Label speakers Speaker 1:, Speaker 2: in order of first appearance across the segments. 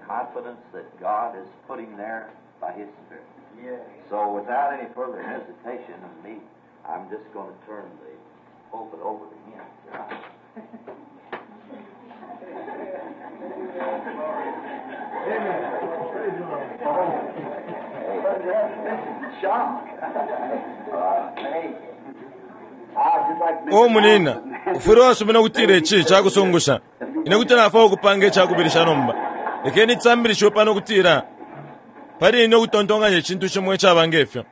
Speaker 1: Confidence that God is putting there by His Spirit. So without any further hesitation of me, I'm just going to turn the pulpit over to him tonight.
Speaker 2: O munina, ufwile wasumina ukutila ici cakusungusha. Ine kuti nafwaya ukupanga icakubilisha nomba. Lekeni cisambilishiwe pano ukutila pali ine ukutontonkanya icintu cimo icaba nge fyo.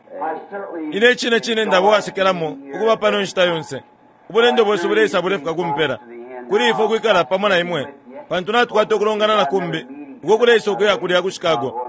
Speaker 2: Ine icine cine ndaba uwasekelamo ukuba pano inshita yonse. Ubulendo bwesu buleisa bulefika ku mpela. Kuli ifwe ukwikala pamo na imwe, pantu natukwata ukulongana na kumbi uko kuleisa ukuya kulya ku Chicago.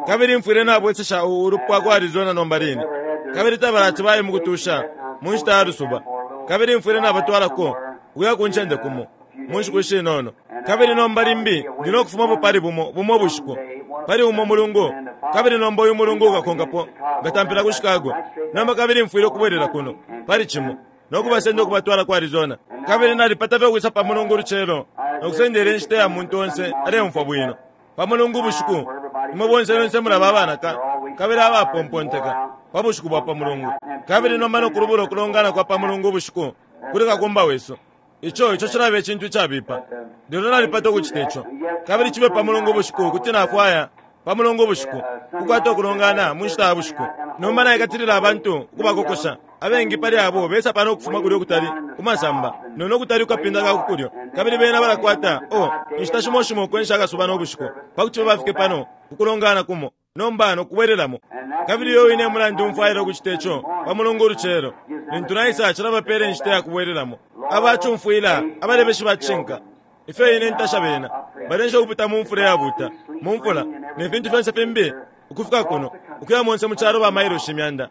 Speaker 2: Kabili mfwile nabwesesha u, ulupwa ku Arizona nomba line. Kabili tabalati baye mukutusha mu nshita ya lusuba. Kabili mfwile nabatwalako ukuya ku ncende kumo mu nshiku ishinono. Kabili nomba limbi ndi no kufumapo pali bumo, bumo bushiku, pali umo mulungu. Kabili nomba uyu mulungu ukakonkapo, nkatampila ku Chicago. Nomba kabili mfwile ukubwelela kuno, pali Cimo, no kubasenda ukubatwala ku Arizona. Kabili nalipata fye ukwisa pa Mulungu ulucelo no kusendela inshita ya muntu onse aleumfwa bwino. Pa Mulungu ubushiku, imwe bonse lyonse mulaba abanaka kabili abapomponteka pa bushiku bwa pa Mulungu. Kabili nomba no kulubula ukulongana kwa pa Mulungu ubushiku kuli kakumba wesu. Ico, ico cilaba icintu icabipa. Lelo nalipata ukucita ico. Kabili cibe pa Mulungu ubushiku kuti nafwaya pa Mulungu ubushiku, ukukwata ukulongana mu nshita ya bushiku. Nomba naikatilila abantu ukubakokosha. Abengi pali abo besa pano ukufuma kulya ukutali ku masamba, no, no kutali kukapinda ka ku kulyo. Kabili bena balakwata, oh, inshita shimo shimo ukwensha akasuba no bushiku, pa kuti fye bafike pano ku kulongana kumo, nomba no kubwelelamo. Kabili uyo wine e mulandu mfwaila ukucita ico pa Mulungu ulucelo. Lintu naisa, cilabapela inshita ya kubwelelamo. Aba cumfwila, abalebeshi ba cishinka. Ifyo ine ntasha bena! Balensha ukupita mu mfula iyabuuta, mu mfula, ne fintu fyonse fimbi, ukufika kuno, ukuya monse mu calo ba mailoshi imyanda,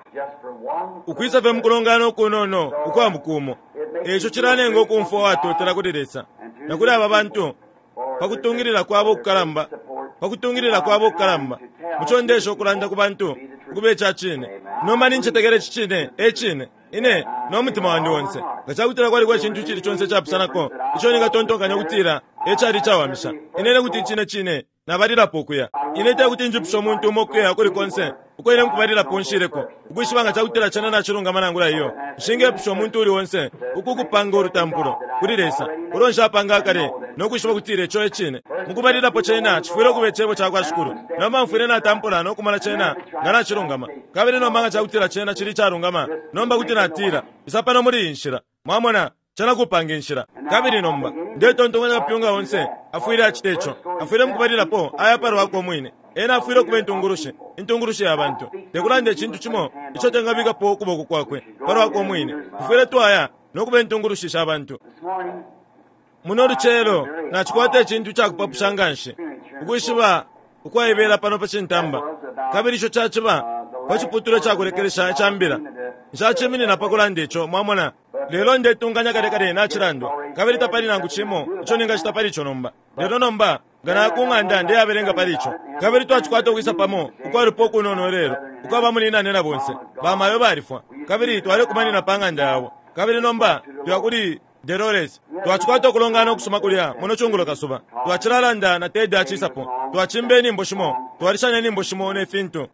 Speaker 2: ukwisa fye mukulongana ukunono ukwa muku umo. Eico cilanenga ukumfwa uwatotela kuli Lesa na kuli aba bantu pa kutungilila kwabo ukukalamba, pa kutungilila kwabo ukukalamba muco ndeesha ukulanda ku bantu ukuba ica cine. Nomba nincetekela ici cine e cine. Ine, no mutima wandi onse, nga cakutila kwaliko icintu icili conse icapusanako ico ningatontonkanya ukutila e cali icawamisha, ine, ine kuti icine cine nabalilapo ukuya. Ine tekuti njipushe umuntu umo ukuya ukuli konse uko ine mukubalilapo nshileko, ukwishiba nga cakutila cena nacilungama nangula iyo. Nshingepusha umuntu uuli onse uku kupanga ulutampulo kuli Lesa ulo nshapanga akale no kwishiba ukutila ico e Cine. Mukubalilapo cena cifwile ukuba Icebo cakwa Shikulu. Nomba mfwile natampula no kumona cena nga nacilungama. Kabili nomba nga cakutila cena cili icalungama, nomba kuti natila, Isa pano muli iyi nshila. Mwamona, cena kupanga inshila. Kabili nomba, ndetontonkanya kapyunga onse afwile acita ico. Afwile mukubalilapo aya palwakwe umwine. Ena afwile ukuba intungulushi, intungulushi ya bantu. Tekulanda icintu cimo ico tengabikapo ukuboko kwakwe palwakwe umwine. Tufwile twaya no kuba intungulushi sha bantu. Muno lucelo, nacikwata icintu icakupapusha nganshi, ukwishiba ukwaibela pano pa cintamba, kabili ico caciba pa ciputulwa icakulekelesha ica Mbila. Nshaciminina pa kulanda ico, mwamona, lelo ndetunganya kale kale nacilandwa, kabili tapali nangu cimo ico ningacita pali ico nomba. Lelo nomba, nga naya ku ng'anda ndeyabelenga pali ico. Kabili twacikwata ukwisa pamo ukwalupwa ukunono ilelo, ukwa bamunyinane na bonse. Bamayo balifwa, kabili twalekumanina pa ng'anda yabo. Kabili nomba tuya kuli Delores. Twacikwata ukulongana ukusuma kulya muno cungulo kasuba. Twacilalanda na Ted acisapo. Twacimba inyimbo shimo, twalishanya inyimbo shimo ne fintu.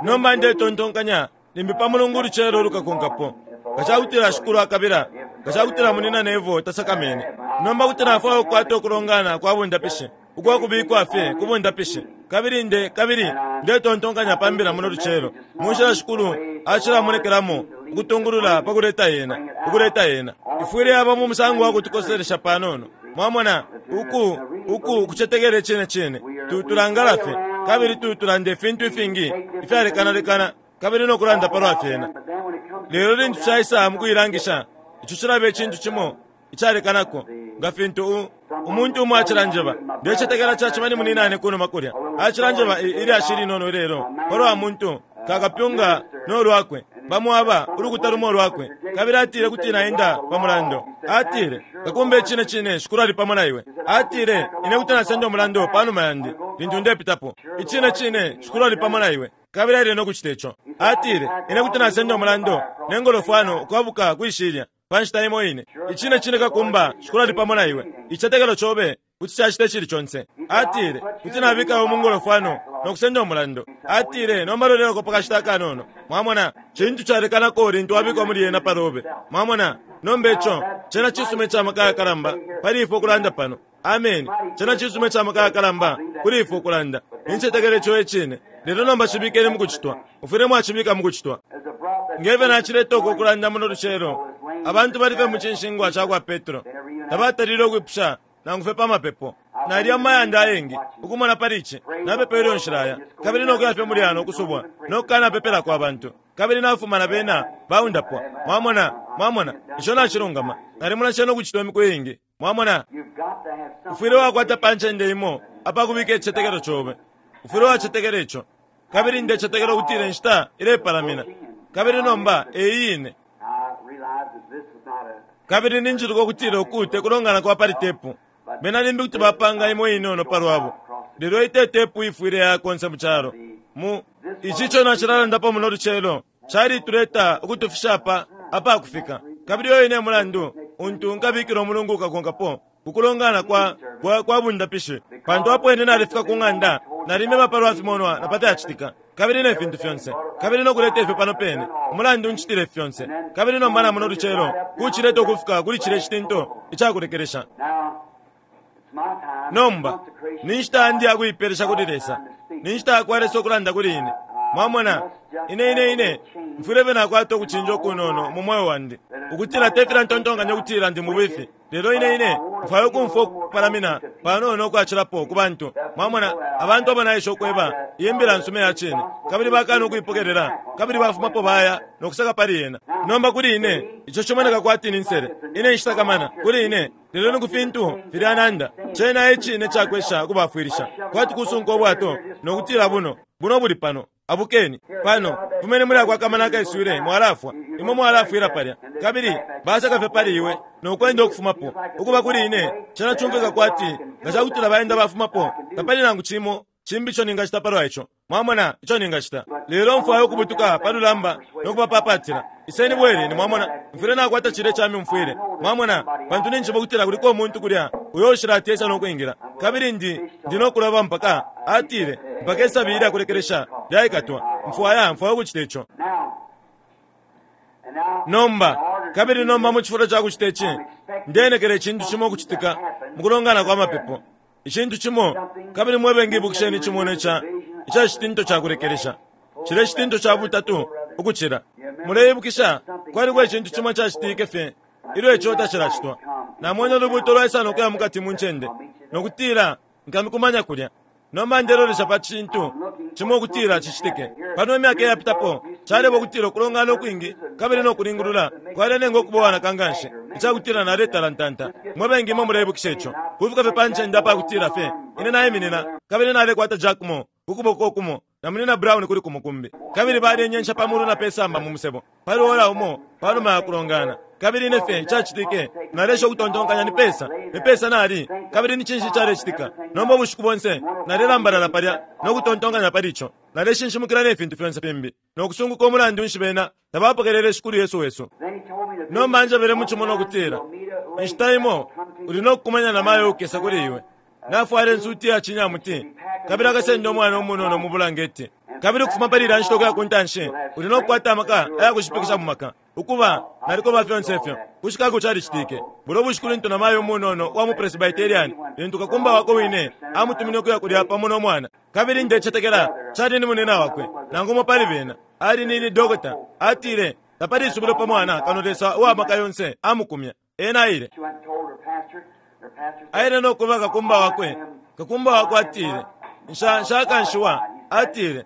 Speaker 2: Nomba ndetontonkanya limbi pa Mulungu ulucelo ulukakonkapo, nga cakutila Shikulu akabila, nga cakutila Munyina Neville tasakamene. Nomba kuti nafwaya ukukwata ukulongana kwa bundapishi ukwa kubikwa fye ku bundapishi. Kabili nde, kabili ndetontonkanya pa Mbila muno lucelo, mu nshila Shikulu acilamonekelamo ukutungulula pa kuleta Yena, ukuleta Yena. Ifwile yaba mu musango wa kutukoselesha panono, mwamona, uku, uku kucetekela icine cine. Tu, tulangala fye, kabili tu, tulanda ifintu ifingi ifyalekana lekana, kabili no kulanda palwa fyena. Lelo lintu caisa mukuilangisha, ico cilaba icintu cimo icalekanako, nga fintu u, umuntu umo acilanjeba. Ndecetekela caciba ni muninane kunuma kulya, acilanjeba i, ilyashi ilinono ilelo palwa muntu, ka kapyunga no lwakwe, bamo aba, ulukuta lumo ulwakwe. Kabili atile kuti naenda pa mulando. Atile, Kakumba icine cine Shikulu ali pamo na iwe. Atile, Ine kuti nasenda umulando panuma yandi lintu ndepitapo. Icine cine Shikulu ali pamo na iwe. Kabili aile no kucita ico. Atile, Ine kuti nasenda umulando ne ngolofwano ukwabuka kwi shilya. pa nshita imo ine. Icine cine kakumba, Shikulu ali pamo na iwe. Icitetekelo cobe kuti cacita icili conse. Atile, Kuti nabika iwe mu ngolofwano no kusenda umulando. Atile, Nomba lolelako pa kashita akanono. Mwamona, cintu calekanako lintu wabikwa muli yena palobe. Mwamona? Nomba ico cena cisuma ica maka ayakalamba pali ifwe ukulanda pano. Ameni. Cena cisuma ica maka ayakalamba kuli ifwe ukulanda. Nincetekela ico e cine. Lelo nomba cibikeni mu kucitwa. Mufwile mwacibika mu kucitwa. Nge fyo nacileta uku kulanda muno lucelo, abantu bali fye mu cinshingwa ca kwa Petro. Tabatalile ukwipusha nangu fye pa mapepo. Naliya mu mayanda ayengi ukumona pali ici. Napepa ilyo nshilaya, kabili no kuya fye muli yano ukusubwa no kukanapepelako abantu, kabili nafuma na bena baundapwa. Mwamona? Mwamona? Ico nacilungama. Nalimona cena ukucitwa imiku iingi. Mwamona? Ufwile wakwata pa ncende imo apakubika icicetekelo cobe. Ufwile wacetekela ico. Kabili ndecetekela ukutila inshita ilepalamina, kabili nomba e iyi ine. Kabili ninjiluka ukutila uku te kulongana kwa pali tepu. Bena limbi kuti bapanga imo inono pa lwabo, lelo iyi te tepu ifwile yaya konse mu calo. Mu, ici ico nacilalandapo muno lucelo, calituleta ukutufisha apa apakufika. Kabili uyo ine mulandu untu nkabikila umulungu ukakonkapo ku kulongana kwa, kwa, kwa bundapishi. Pantu apo ine nalifika ku ng'anda, nalimeba palwa fimonwa na pa fyacitika, kabili ne fintu fyonse, kabili no kuleta ifyo pano pene, umulandu ncitile ifi fyonse. Kabili nomba na muno lucelo, kucileta ukufika kuli cilye citinto icakulekelesha. Nomba, ni nshita yandi ya kuipelesha kuli Lesa. Ni nshita yakwa Lesa ukulanda kuli ine. Mwamona, ine, ine, ine mfwile fye nakwata ukucinja ukunono mu mweo wandi, ukutila te filya ntontonkanya ukutila ndi mubifi, lelo ine, ine mfwaya ukumfwa ukupalamina panono ukwacilapo ku bantu. Mwamona, abantu abo naesha ukweba iyi Mbila nsuma iya cine, kabili bakana ukuipokelela, kabili bafumapo baya no kuseka pali yena. Nomba kuli ine, ico cimoneka kwati ni nsele. Ine nshisakamana, kuli ine, Lelo ni ku fintu filya nanda, cena e cine ca kwesha ukubafwilisha, kwati kusunka ubwato no kutila buno, buno buli pano, abukeni, pano, fumeni muli ako akamana akaiswile, mwalafwa, imwe mwalafwila palya. Kabili baseka fye pali iwe no kwenda ukufumapo. Ukuba kuli ine, cena cumfwika kwati nga cakutila baenda bafumapo, tapali nangu cimo cimbi ico ningacita palwa ico. Mwamona ico ningacita? Lelo mfwaya ukubutuka pa lulamba no kubapapatila. Iseni bweleni, mwamona. Mfwile nakwata cilya ica myumfwile, mwamona, pantu ninjishiba ukutila kuliko umuntu kulya uyo ushilati esa no kwingila. Kabili ndi, ndi no kuloba mpaka, atile, mpaka isabi ilya kulekelesha lyaikatwa. Mfwaya, mfwaya ukucita ico. Nomba, kabili nomba mu cifulo ca kucita ici, ndeenekela icintu cimo ukucitika mu kulongana kwa mapepo. Icintu cimo, kabili mwe bengi ibukisheni icimonwa ica, ica citinto ca kulekelesha, cilya icitinto ca butatu ukucila. Muleibukisha, kwaliko icintu cimo icacitike fye ilyo ico tacilacitwa. Namwene ulubuuto lwaisa no kuya mukati mu ncende, no kutila, Nkamikumanya kulya. Nomba ndelolesha pa cintu cimo ukutila cicitike. Pano imyaka iyapitapo, caleba ukutila ukulongana ukwingi kabili no kulingulula kwalenenga ukuba uwanaka nganshi icakutila naletalantanta. Mwe bengi imwe muleibukisha ico. Kufika fye pa ncende apakutila fye ine naiminina kabili nalekwata Jack Moore ku kuboko kumo na Munyina Brown kuli kumo kumbi, kabili balenyensha pa mulu na pe samba mu musebo pali ora umo panuma ya kulongana. Kabili ine fye, icacitike, naleesha ukutontonkanya ni pesa, ni pesa nali, kabili ni cinshi icalecitika. Nomba ubushiku bonse nalelambalala palya no kutontonkanya pali ico. Naleshinshimukila ne fintu fyonse fimbi, no kusunguka umulandu nshi bena tabapokelele Shikulu Yesu wesu. Nomba anjebele mu cimonwa ukutila, Inshita imo uli no kukumanya na mayo uukesa kuli iwe, nafwala insuti ya cinyamuti, kabili akasenda umwana umunono mu bulangeti. Kabili ukufuma pali ilya nshita ukuya ku ntanshi, uli no kukwata amaka aya kushipikisha mu maka. Ukuba, nalikoba fyonse ifyo. Ku Chicago calicitike. Bulyo bushiku lintu namayo umunono uwa mu Presbyterian, lintu kakumba wakwe wine amutumine ukuya kulya pamo no mwana. Kabili ndecetekela cali ni munina wakwe, nangu umo pali bena, ali ni, ni dokota, atile, Tapali isubilo pa mwana kano Lesa uwa Maka yonse amukumya. Ena aile. Aile no kweba kakumba wakwe. Kakumba wakwe atile, Nsha, nshakanshiwa, atile,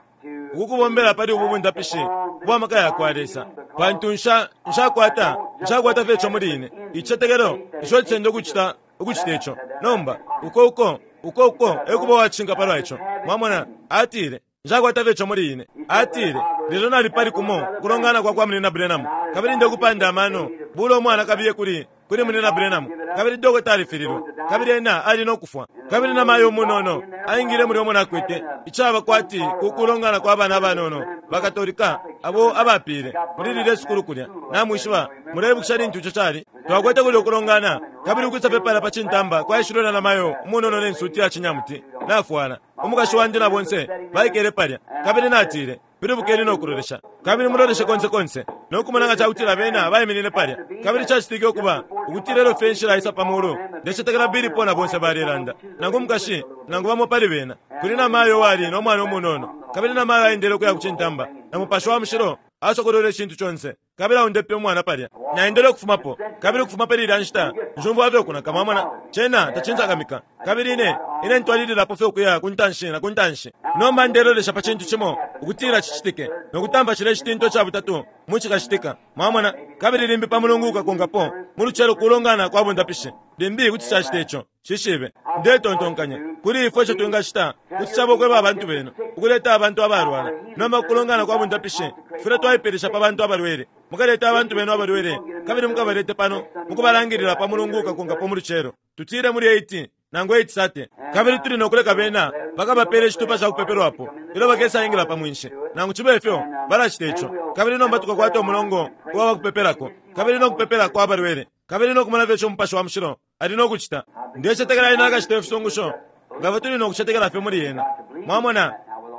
Speaker 2: ukukubombela pali ubu bundapishi ubwa maka yakwa Lesa, pantu nsha, nshakwata, nshakwata fye ico muli ine, icicetekelo ico cisenda ukucita, ukucita ico. Nomba, uko, uko, uko, uko e kuba uwacishinka palwa ico. Mwamona? Atile, Nshakwata fye ico muli ine. Atile, Lelo nali pali kumo ukulongana kwa kwa Munyina Branham, kabili ndekupanda amano, bula umwana kabiye kuli, kuli Munyina Branham, kabili dokota alifililwe, kabili ena ali no kufwa. Kabili na mayo umunono aingile mulya umo nakwete icaba kwati ku kulongana kwa bana abanono bakatolika abo abapile muli lilye sukulu kulya. Namwishiba, muleibukisha lintu ico cali? Twakwete kulya ukulongana, kabili ukwisa pe pala pa cintamba kwaishilwe na namayo umunono ne nsuti ya cinyamuti nafwala. Umukashi wandi na bonse baikele palya, kabili natile, Pilibukeni no kulolesha, kabili muloleshe konse konse, no kumona nga ca kutila bena baiminine palya. Kabili cacitike ukuba ukutila ilyo fye nshilaisa pa mulu, ndecetekela Billy Paul na bonse balelanda, nangu umukashi, nangu bamo pali bena, kuli namayo uwali no mwana umunono. Kabili namayo aendele ukuya ku cintamba, na Mupashi wa Mushilo asokolwele icintu conse, kabili aundepe umwana palya. Naendele ukufumapo, kabili ukufuma pali ilya nshita, nshumfwa fye ukunaka, mwamona. Cena tacinsakamika. Kabili ine, ine ntwalililapo fye ukuya ku ntanshi na ku ntanshi. Nomba ndelolesha pa cintu cimo ukutila cicitike, no kutampa cilya icitinto ca butatu mu cikacitika, mwamona. Kabili limbi pa Mulungu ukakonkapo, mu lucelo kulongana kwa bundapishi, limbi kuti cacita ico. Nshishibe. Ndetontonkanya, kuli ifwe ico twingacita kuti caba ukweba abantu benu ukuleta abantu abalwala. Nomba ku kulongana kwa bundapishi, tufwile twaipeelesha pa bantu abalwele. Mukalete abantu benu abalwele, kabili mukabalete pano mukubalangilila pa Mulungu ukakonkapo mu lucelo, tutile muli 8 nangu 8:30. Kabili tuli no kuleka bena bakabapele icitupa ca kupepelwapo ilyo bakesaingila pa mwinshi. Nangu cibe fyo, balacita ico. Kabili nomba tukakwata umulongo uwa bakupepelako, kabili no kupepelako abalwele, kabili no kumona fye ico Mupashi wa Mushilo ali no kucita. Ndecetekela Ena akacita ifisungusho nga ifwe tuli no kucetekela fye muli Ena. Mwamona?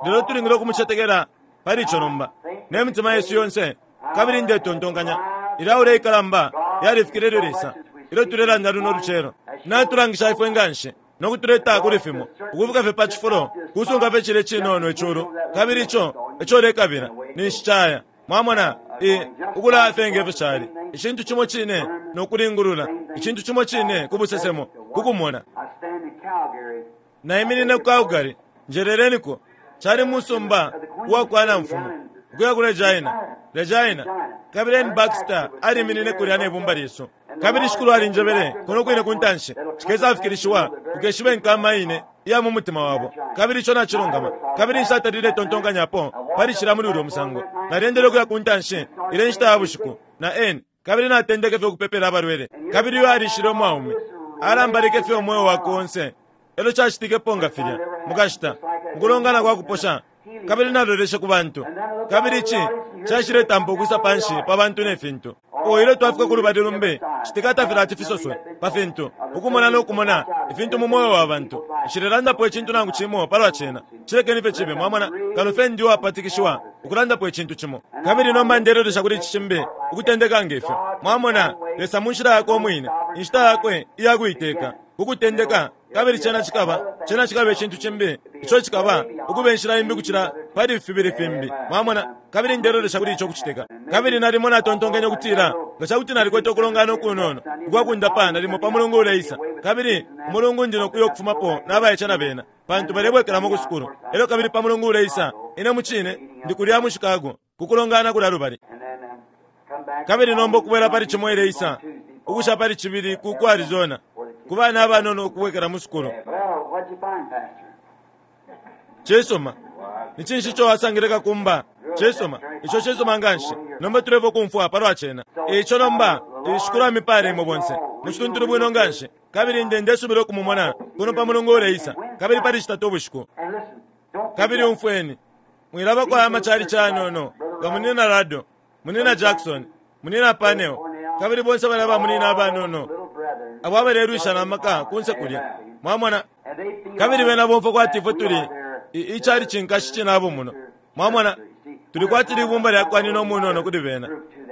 Speaker 2: Lelo tulingile ukumucetekela pali ico nomba, ne mitima yesu yonse. Kabili ndetontonkanya ilya ora ikalamba yalifikile ilyo Lesa, ilyo tulelanda luno lucelo, natulangisha ifwe nganshi no kutuleta kuli fimo, ukufika fye pa cifulo, kusunga fye cilya icinono iculu, kabili ico eco ulekabila, ninshi caya. Mwamona, i, ukulaya fye nge fyo cali, icintu cimo cine no kulingulula, icintu cimo cine ku busesemo, ku kumona. Naiminine ku Calgary, njeleleniko, cali musumba uwa kwa namfumu, ukuya ku Regina, Regina. Kabili Ern Baxter aliminine kulya ne bumba lyesu. Kabili Shikulu alinjebele, kuno kwine ku ntanshi, cikesafikilishiwa, ukeshiba inkama ine iya mu mutima wabo. Kabili ico nacilungama. Kabili nshatalile tontonkanyapo pali cilya muli ulyo musango. Nalyendele ukuya ku ntanshi, ilya inshita ya bushiku, na Ern, kabili natendeke fye ukupepela abalwele. Kabili uyo alishile umwaume, alambalike fye umweo wakwe onse. Elyo cacitikepo nga filya, mukashita, mukulongana kwa kuposha, kabili naloleshe ku bantu, kabili ici caishiletampa ukwisa panshi pa bantu ne fintu. Oh, ilyo twafika ku lubali lumbi, citika tafilati fisoswe pa fintu, ukumona no kumona ifintu mu mweo wa bantu. Nshilelandapo icintu nangu cimo palwa cena. Cilekeni fye cibe, mwamona, kano fye ndi uwapatikishiwa ukulandapo icintu cimo. Kabili nomba ndelolesha kuli ici cimbi, ukutendeka nge fyo. Mwamona, Lesa mu nshila Yakwe Umwine, inshita Yakwe iya kuiteka, ku kutendeka, kabili cena cikaba, cena cikaba icintu cimbi, ico cikaba ukuba inshila imbi ukucila pali fibili fimbi. Mwamona? Kabili ndelolesha kuli ico kucitika. Kabili nalimo natontonkenye ukutila, nga ca kuti nalikwete ukulongana ukunono ukwa kundapa nalimo pa Mulungu uleisa, kabili Umulungu ndi no kuya ukufumapo na baice na bena, pantu balebwekelamo ku sukulu. Elyo kabili pa Mulungu uleisa, ine mucine ndi kulya mu Chicago, ku kulongana kulya lubali. Kabili nomba ukubwela pali Cimo ileisa, ukusha pali Cibili ku, ku Arizona, ku bana abanono ukubwekela mu sukulu. Cisuma. Ni cinshi ico wasangile kakumba? Cisuma. Ico cisuma nganshi. Nomba tulefwa ukumfwa palwa cena. E ico nomba, Shikulu amipale imwe bonse, mu cituntulu bwino nganshi. Kabili nde, ndesubila ukumumona kuno pa Mulungu uleisa, kabili pali Citatu ubushiku. Kabili umfweni, mwilabako aya macalici ayanono nga Munyina Ruddell, Munyina Jackson, Munyina Parnell, kabili bonse balya ba munyina abanono abo abalelwisha na maka kunse kulya. Mwamona? Kabili bena bomfwa kwati ifwe tuli i, icalici nkashi cinabo muno. Mwamona? Tuli kwati libumba lya kwa nina umunono kuli bena,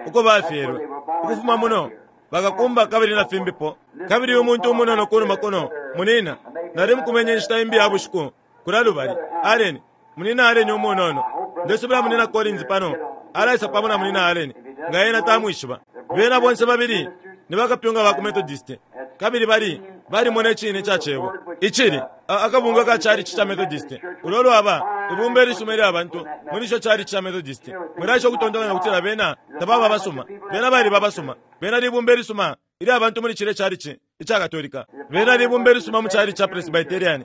Speaker 2: uko bafyelwe. Ukufuma muno, bakakumba kabili na fimbipo. Kabili uyu muntu umunono kunuma kuno, munina, nali mukumenye inshita imbi ya bushiku, kulya lubali, Allen, Munina Allen umunono. Ndesubila Munina Collins pano alaisa pamo na Munina Allen, nga ena tamwishiba. Bena bonse babili ni bakapyunga ba ku Methodist, kabili bali, balimona Icine ca Cebo, icili, a, akabungwe ka chalichi ca Methodist, ulo lwaba ibumba ilisuma ilya bantu muli ico chalichi ca Methodist. Mwilaesha ukutontonkanya ukutila bena tababa abasuma. Bena baliba abasuma. Bena libumba ilisuma ilya bantu muli cilye chalichi ica Katolika. Bena libumba ilisuma mu chalichi ca Presbyterian.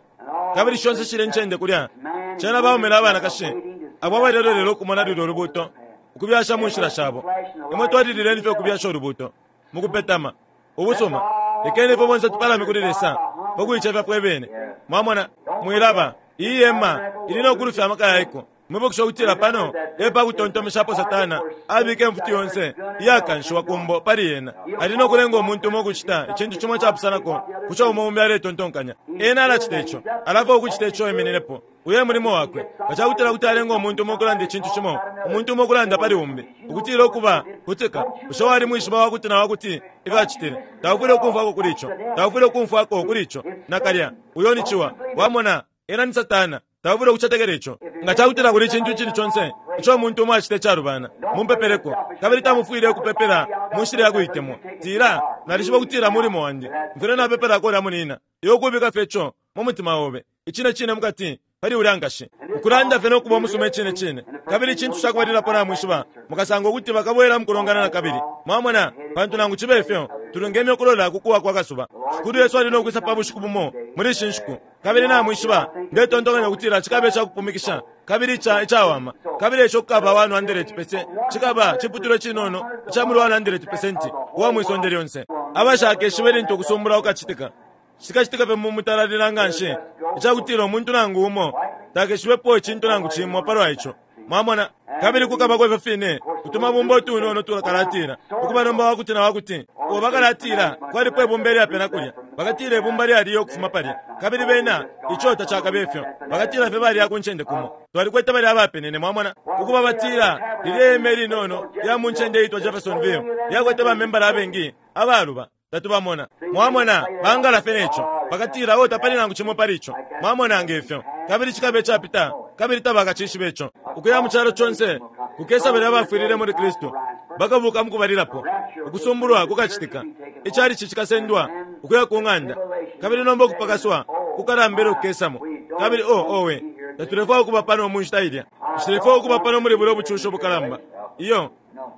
Speaker 2: Kabili shonse shilye ncende kulya, cena baume na banakashi abo abalelolela ukumona lulyo Lubuuto ukubyasha mu nshila shabo. Imwe twalilileni fye ukubyasha Ulubuuto, mukupetama. Ubusuma. Lekeni ifwe bonse tupalame kuli Lesa pa kuicefya fwe bene. Mwamona, mwilaba, iyi hema ili no kulufya amaka ya iko. Mwibukisha ukutila pano e pa kutontomeshapo Satana abika imfuti yonse iyakanshiwa ku mbo pali yena. Ali no kulenga umuntu umo ukucita icintu cimo icapusanako ku co umo umbi aletontonkanya. Ena alacita ico. Alafwaya ukucita ico emininepo. Uyo e mulimo wakwe. Nga ca kutila kuti alenga umuntu umo ukulanda icintu cimo, umuntu umo ukulanda pali umbi, ukutila ukuba, kutika, bushe walimwishiba wakuti na wakuti ifyo acitile? Taufwile ukumfwako kuli ico. Taufwile ukumfwako kuli ico. Nakalya. Uyo ni ciwa. Wamona, ena ni Satana. Taufwile ukucetekela ico. Nga ca kutila kuli icintu icili conse ico umuntu umo acita icalubana, mumupepeleko. Kabili tamufwile ukupepela mu nshila ya kuitemwa. Tila, Nalishiba ukutila mulimo wandi. Mfwile napepelako ulya munina. Iwe ukubika fye ico mu mutima obe, icine cine mukati, pali ulya nkashi. Ukulanda fye no kuba umusuma icine cine. Kabili icintu ca kubalilapo namwishiba, mukasanga ukuti bakabwela mu kulongana na kabili. Mwamona? Pantu nangu cibe fyo, tulungeme ukulola ku kuwa kwa kasuba. Shikulu Yesu ali no kwisa pa bushiku bumo muli ishi nshiku. Kabili namwishiba, ndetontonkanya ukutila cikabe ica kupumikisha kabili ica, icawama. Kabili ico kukaba 100 pese, cikaba ciputulwa icinono ica muli 100 pesenti uwa mwi sonde lyonse. Abashakeshibe lintu ukusumbula kukacitika. Cikacitika fye mu mutalalila nganshi icakutila umuntu nangu umo takeshibepo icintu nangu cimo palwa ico. Mwamona? Kabili kukabako ifyo fine utumabumba utunono tukalatila, ukuba nomba wakuti na wakuti. Uo bakalatila, kwalipo ibumba ilyapena kulya. Bakatila ibumba lyaliyo ukufuma palya. Kabili bena, ico tacakabe ifyo. Bakatila fye baliya ku ncende kumo. Twalikwete balya abapenene, mwamona. Ukuba batila, lilye hema ilinono lya mu ncende iitwa Jeffersonville lyakwete ba membala abengi abaluba. Tatubamona. Mwamona, bangala fye ne co. Bakatila, Oh, tapali nangu cimo pali ico. Mwamona, nge fyo. Kabili cikaba icapita, kabili tabakacishibe ico. Ukuya mu calo conse, kukesa balya abafwilile muli Kristu. Bakabuka mukubalilapo. Ukusumbulwa kukacitika. Icalici cikasendwa ukuya ku ng'anda. Kabili nomba ukupakaswa kukalamba elyo kukesamo. Kabili, oh, owe, tatulefwaya ukuba pano mu nshita ilya. Nshilefwaya ukuba pano muli bulyo bucushi ubukalamba. Iyo.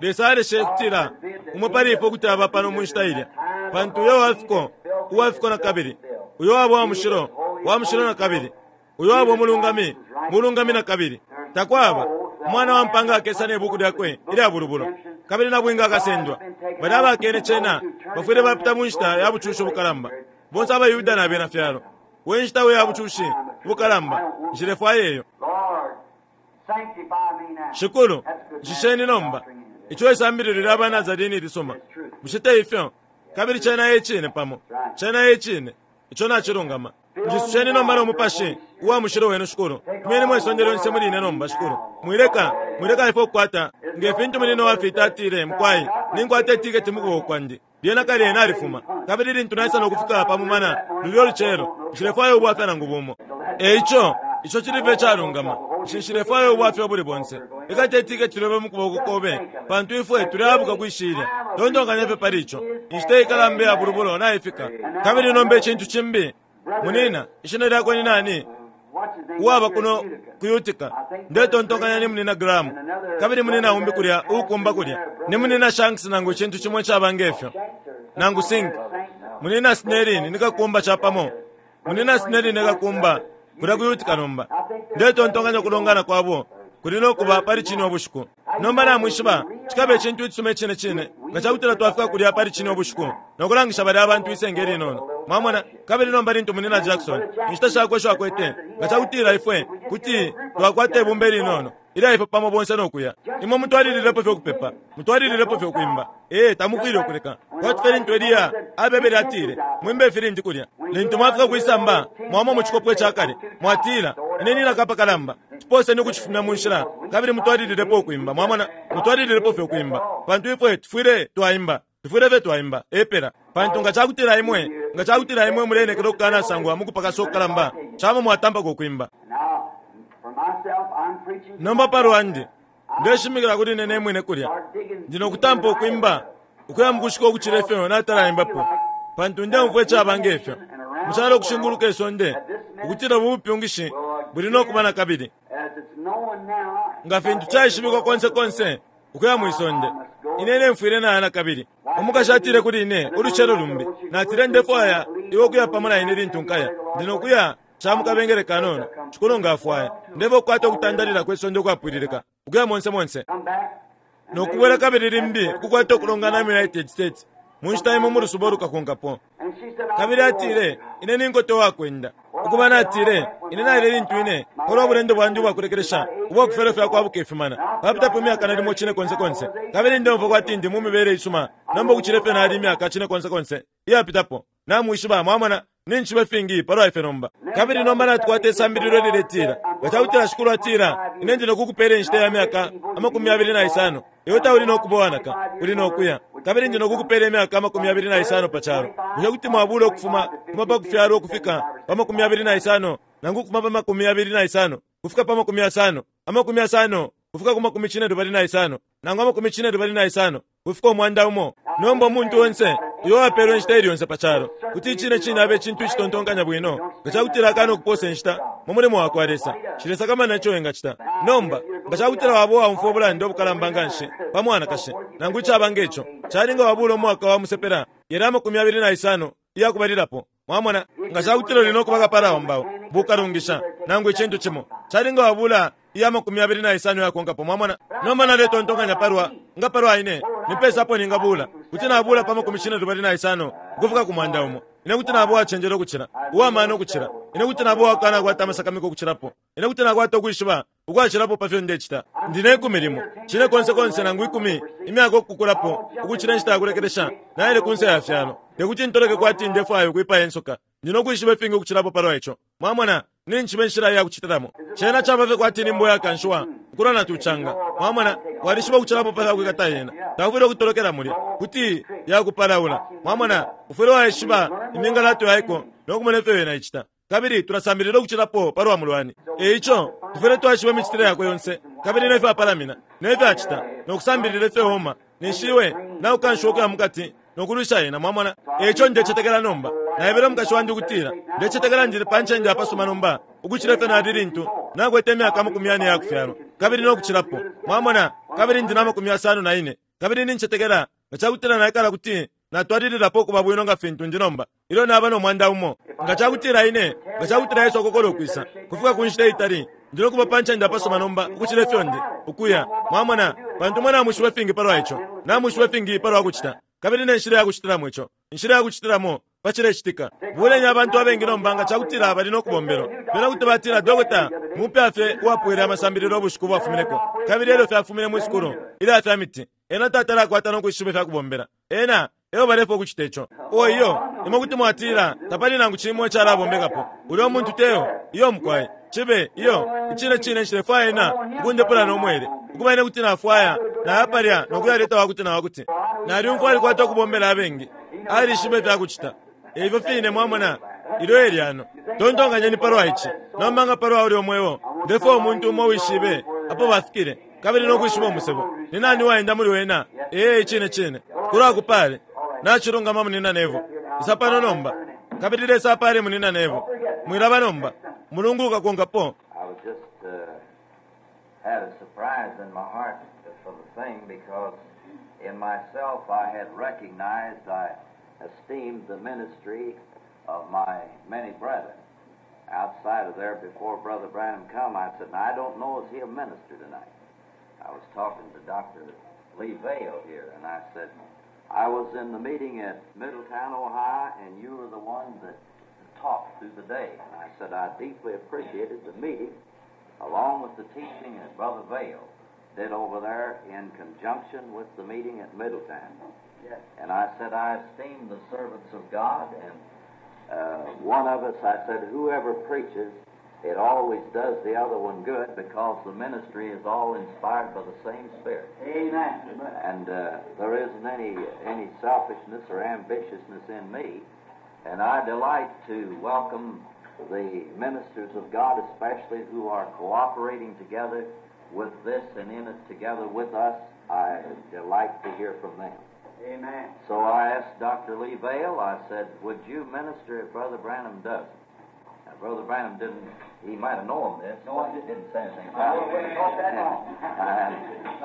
Speaker 2: Lesa aleshe ukutila umo pali ifwe kuti aba pano mu nshita ilya, pantu uyo wafiko, uwafiko na kabili, uyo waba wa mushilo, wa mushilo na kabili, uyo waba umulungami, mulungami na kabili. Takwaba Umwana wa mpanga akesa ne buku lyakwe ilya bulubulo, kabili nabwinga akasendwa. Balya abakene cena bafwile bapita mu nshita ya bucushi bukalamba, bonse abaYuda na bena fyalo. We nshita we ya bucushi bukalamba, nshilefwaya iyo. Shikulu, nshisheni nomba. Ico isambililo lya ba Nazarene ilisuma. Bushe te ifyo? Kabili cena e cine pamo. Cena e cine. Ico nacilungama. Njisusheni nomba no Mupashi uwa Mushilo wenu, Shikulu. Fumenimo isonde lyonse muli ine nomba, Shikulu. Mwileka, mwileka ifwe ukukwata, nge fintu munina uwafita atile, Mukwai, ninkwata itiketi mu kuboko kwandi. Lyena kale nalifuma. Kabili lintu naisa no kufika pa mumana lulyo lucelo, nshilefwaya ubwafya nangu bumo. E ico, ico cili fye icalungama. Nshi, nshilefwaya ubwafya ubuli bonse. Ikata itiketi lyobe mu kuboko kobe, pantu ifwe tuleabuka kwi shilya. Tontonkanya fye pali ico. Inshita ikalamba iya bulubulo naifika. Kabili nomba icintu cimbi, munina, ishina lyakwe ni nani? Uwaba kuno ku Utica. Ndetontonkanya ni Munina Graham. Kabili munina umbi kulya, uukumba kulya, ni Munina Shanks nangu icintu cimo icaba nge fyo. Nangu Sink. Munina Snelling ni kakumba capamo. Munina Snelling e kakumba kulya ku Utica nomba. Ndetontonkanya ukulongana kwabo kuli no kuba pali cino ubushiku. Nomba namwishiba, cikaba icintu icisuma icine cine nga cakutila twafika kulya pali cino ubushiku no kulangisha balya abantu isenge linono. Mwamona? Kabili nomba lintu Munina Jackson, inshita shakwe isho akwete, nga cakutila ifwe kuti twakwata ibumba ilinono ilya ifwe pamo bonse no kuya. Imwe mutwalililepo fye ukupepa, mutwalililepo fye ukwimba. Ee, tamufwile ukuleka. Kwati fye lintu Eliya abebele atile, Mwimbe ifilindi kulya. Lintu mwafika kwisamba, mwama mu cikopo ica kale, mwatila, Ine ninaka apakalamba. Cipooseni ukucifumya mu nshila, kabili mutwalililepo ukwimba. Mwamona? Mutwalililepo fye ukwimba. Pantu ifwe tufwile twaimba. Tufwile fye twaimba. Epela. Pantu nga cakutila imwe, nga cakutila imwe muleenekela ukukanasangwa mu kupakasa ukukalamba, camo mwatampako ukwimba. Nomba pa lwandi, ndeshimikila kuli ine ne mwine kulya. Ndi no kutampa ukwimba ukuya mukushika ukucila ifyo natalaimbapo, pantu ndeumfwa icaba nge fyo mu calo ukushinguluka isonde ukutila ubu bupyungishi buli no kuba na kabili. Nga fintu caishibikwa konse konse ukuya mwi sonde, ine ine mfwile naya na kabili. Umukashi atile kuli ine ulucelo lumbi, natile, Ndefwaya iwe ukuya pamo na ine lintu nkaya. Ndi no kuya ca mu kabengele kanono, Shikulu nga afwaya. Ndefwaya ukukwata ukutandalila kwe sonde ukwapwililika, ukuya monse monse. No kubwela kabili limbi ukukwata ukulongana mu United States. Mu nshita imo mu lusuba ulukakonkapo. Kabili atile, Ine ni nkote uwakwenda. Ukuba, natile, Ine naile lintu ine, palwa bulendo bwandi ubwakulekelesha ubwa kufyalo fya kwabuka ifimana, papitapo imyaka nalimo cine konse konse, kabili ndeumfwa kwati ndi mu mibele isuma nomba ukucila ifyo nali imyaka cine konse konse iyapitapo. Namwishiba, mwamona, ninjishiba ifingi palwa ifyo nomba. Kabili nomba natukwata isambililo ililetila, Nga cakutila Shikulu atila, Ine ndi nokukupela inshita ya myaka 25, iwe tauli nokuba uwanaka, uli nokuya. Kabili ndi nokukupela imyaka 25 pa calo. Bushe kuti mwabula ukufuma kuma pa kufyalwa ukufika pa 25, nangu ukufuma pa 25 ukufika pa 50, 50 ukufika ku 75, nangu 75 ukufika 100? Nomba umuntu onse uyo uwapelwa inshita ili yonse pa calo, kuti icine cine abe icintu icitontonkanya bwino nga cakutila akana ukupoosa inshita mu mulimo wa kwa Lesa. Nshilesakamana ico wengacita. Nomba, nga cakutila waba uwaumfwa ubulanda ubukalamba nganshi pa mwanakashi, nangu icaba nge co, cali nga wabuula umwaka wa musepela yalya 25 iyakubalilapo. Mwamona? Nga cakutila uli no kuba kapala wa mbao, bukalungisha, nangu icintu cimo, cali nga wabuula iya 25 iyakonkapo. Mwamona? Nomba naletontonkanya palwa, nga palwa ine, ni pesa apo ningabuula? Kuti nabuula pa 25 ukufika ku 100. Ine kuti naba uwacenjela ukucila, uwa mano ukucila. Ine kuti naba uwakanakwata amasakamika ukucilapo. Ine kuti nakwata ukwishiba ukwacilapo pa fyo ndecita. Ndi ne kumi limo, cine konse konse nangu ikumi, imyaka ukukulapo ukucila inshita ya kulekelesha naile kunse ya fyalo. Te kuti ntoloke kwati ndefwaya ukwipaya insoka. Ndi no kwishiba ifingi ukucilapo palwa ico. Mwamona, ninjishiba inshila iya kucitilamo. Cena caba fye kwati ni mbwa iyakanshiwa ukulwa na tucanga. Mwamona, walishiba ukucilapo pa fya kwikata yena. Taufwile ukutolokela mulya, kuti yakupalaula. Mwamona, ufwile waishiba imingalato yaiko no kumona ifyo yena icita. Kabili tulasambilila ukucilapo palwa mulwani. E ico, tufwile twaishiba imicitile yakwe yonse, kabili ne fyo apalamina, ne fyo acita, no kusambilila ifyo oma, ninshi iwe naukanshiwa ukuya mukati no kulwisha ena. Mwamona? E ico ndecetekela nomba. Naebele umukashi wandi ukutila, Ndecetekela ndili pa ncende apasuma nomba ukucila ifyo nali lintu nakwete imyaka 40 iyakufyalwa, kabili no kucilapo. Mwamona? Kabili ndi na 54, kabili nincetekela nga cakutila naikala kuti natwalililapo ukuba bwino nga fintu ndi nomba ilyo naba no 100. Nga cakutila ine, nga cakutila Yesu akokola ukwisa, kufika ku nshita itali, ndi no kuba pa ncende apasuma nomba ukucila ifyo ndi, ukuya. Mwamona? Pantu imwe namwishiba ifingi palwa ico, namwishiba ifingi palwa kucita, kabili ne nshila ya kucitilamo ico, inshila ya kucitilamo pa cilecitika. Buleni abantu abengi nomba nga cakutila bali no kubombelwa. Bena kuti batila, Dokota mupya fye uwapwile amasambililo ubushiku bwafumineko, kabili elyo fye afumine mwi sukulu ilya fya miti. Ena tatala akwata no kwishiba ifya kubombela. Ena eo balefwaya ukucita ico. Oh, iyo, imwe kuti mwatila, Tapali nangu cimo icalabombekapo. Ulyo muntu teo. Iyo, mukwai. Cibe, iyo, icine cine nshilefwaya ena ukundepula no mwele. Ukuba ine kuti nafwaya naya palya no kuyaleta wakuti na wakuti. Nalyumfwa alikwata ukubombela abengi. Alishiba ifya kucita. Eifyo fine, mwamona, ilyo e lyano. Tontonkanyeni palwa ici nomba nga palwa ulyo mweo. Ndefwaya umuntu umo uwishibe apo bafikile kabili no kwishiba umusebo. Ni nani uwaenda muli wena? Ee, icine cine. Kulwakupale. Nacilungama, Munina Neville. Isa pano nomba. Kabili Lesa apale Munina Neville. Mwilaba nomba. Umulungu ukakonkapo.
Speaker 1: I was just uh, had a surprise in my heart for the thing because in myself I had recognized I esteemed the ministry of my many brethren. Outside of there, before Brother Branham come, I said, Now, I don't know is he a minister tonight. I was talking to Dr. Lee Vayle here, and I said, I was in the meeting at Middletown, Ohio, and you were the one that talked through the day. And I said, I deeply appreciated the meeting along with the teaching that Brother Vayle did over there in conjunction with the meeting at Middletown.
Speaker 3: Yes.
Speaker 1: And I said, I esteem the servants of God, and uh, one of us, I said, whoever preaches, it always does the other one good because the ministry is all inspired by the same Spirit.
Speaker 3: Amen.
Speaker 1: And uh, there isn't any any selfishness or ambitiousness in me. And I delight to welcome the ministers of God, especially who are cooperating together with this and in it together with us. I delight to hear from them.
Speaker 3: Amen.
Speaker 1: So I asked Dr. Lee Vayle, I said, would you minister if Brother Branham doesn't? Now, Brother Branham didn't, he might have known this,
Speaker 3: No, I
Speaker 1: but he
Speaker 3: didn't.
Speaker 1: didn't say anything
Speaker 3: I
Speaker 1: about it.
Speaker 3: wouldn't talk that long.
Speaker 1: And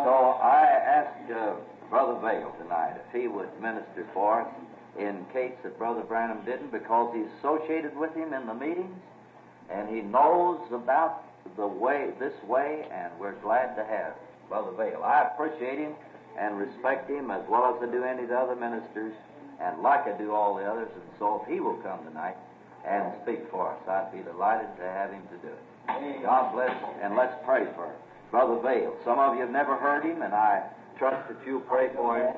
Speaker 1: so I asked uh, Brother Vayle tonight if he would minister for us in case that Brother Branham didn't, because he's associated with him in the meetings and he knows about the way, this way, and we're glad to have Brother Vayle. I appreciate him and respect him as well as I do any of the other ministers and like I do all the others, and so if he will come tonight and speak for us, I'd be delighted to have him to do it. God bless, and let's pray for Brother Vayle. Some of you have never heard him, and I trust that you'll pray for him.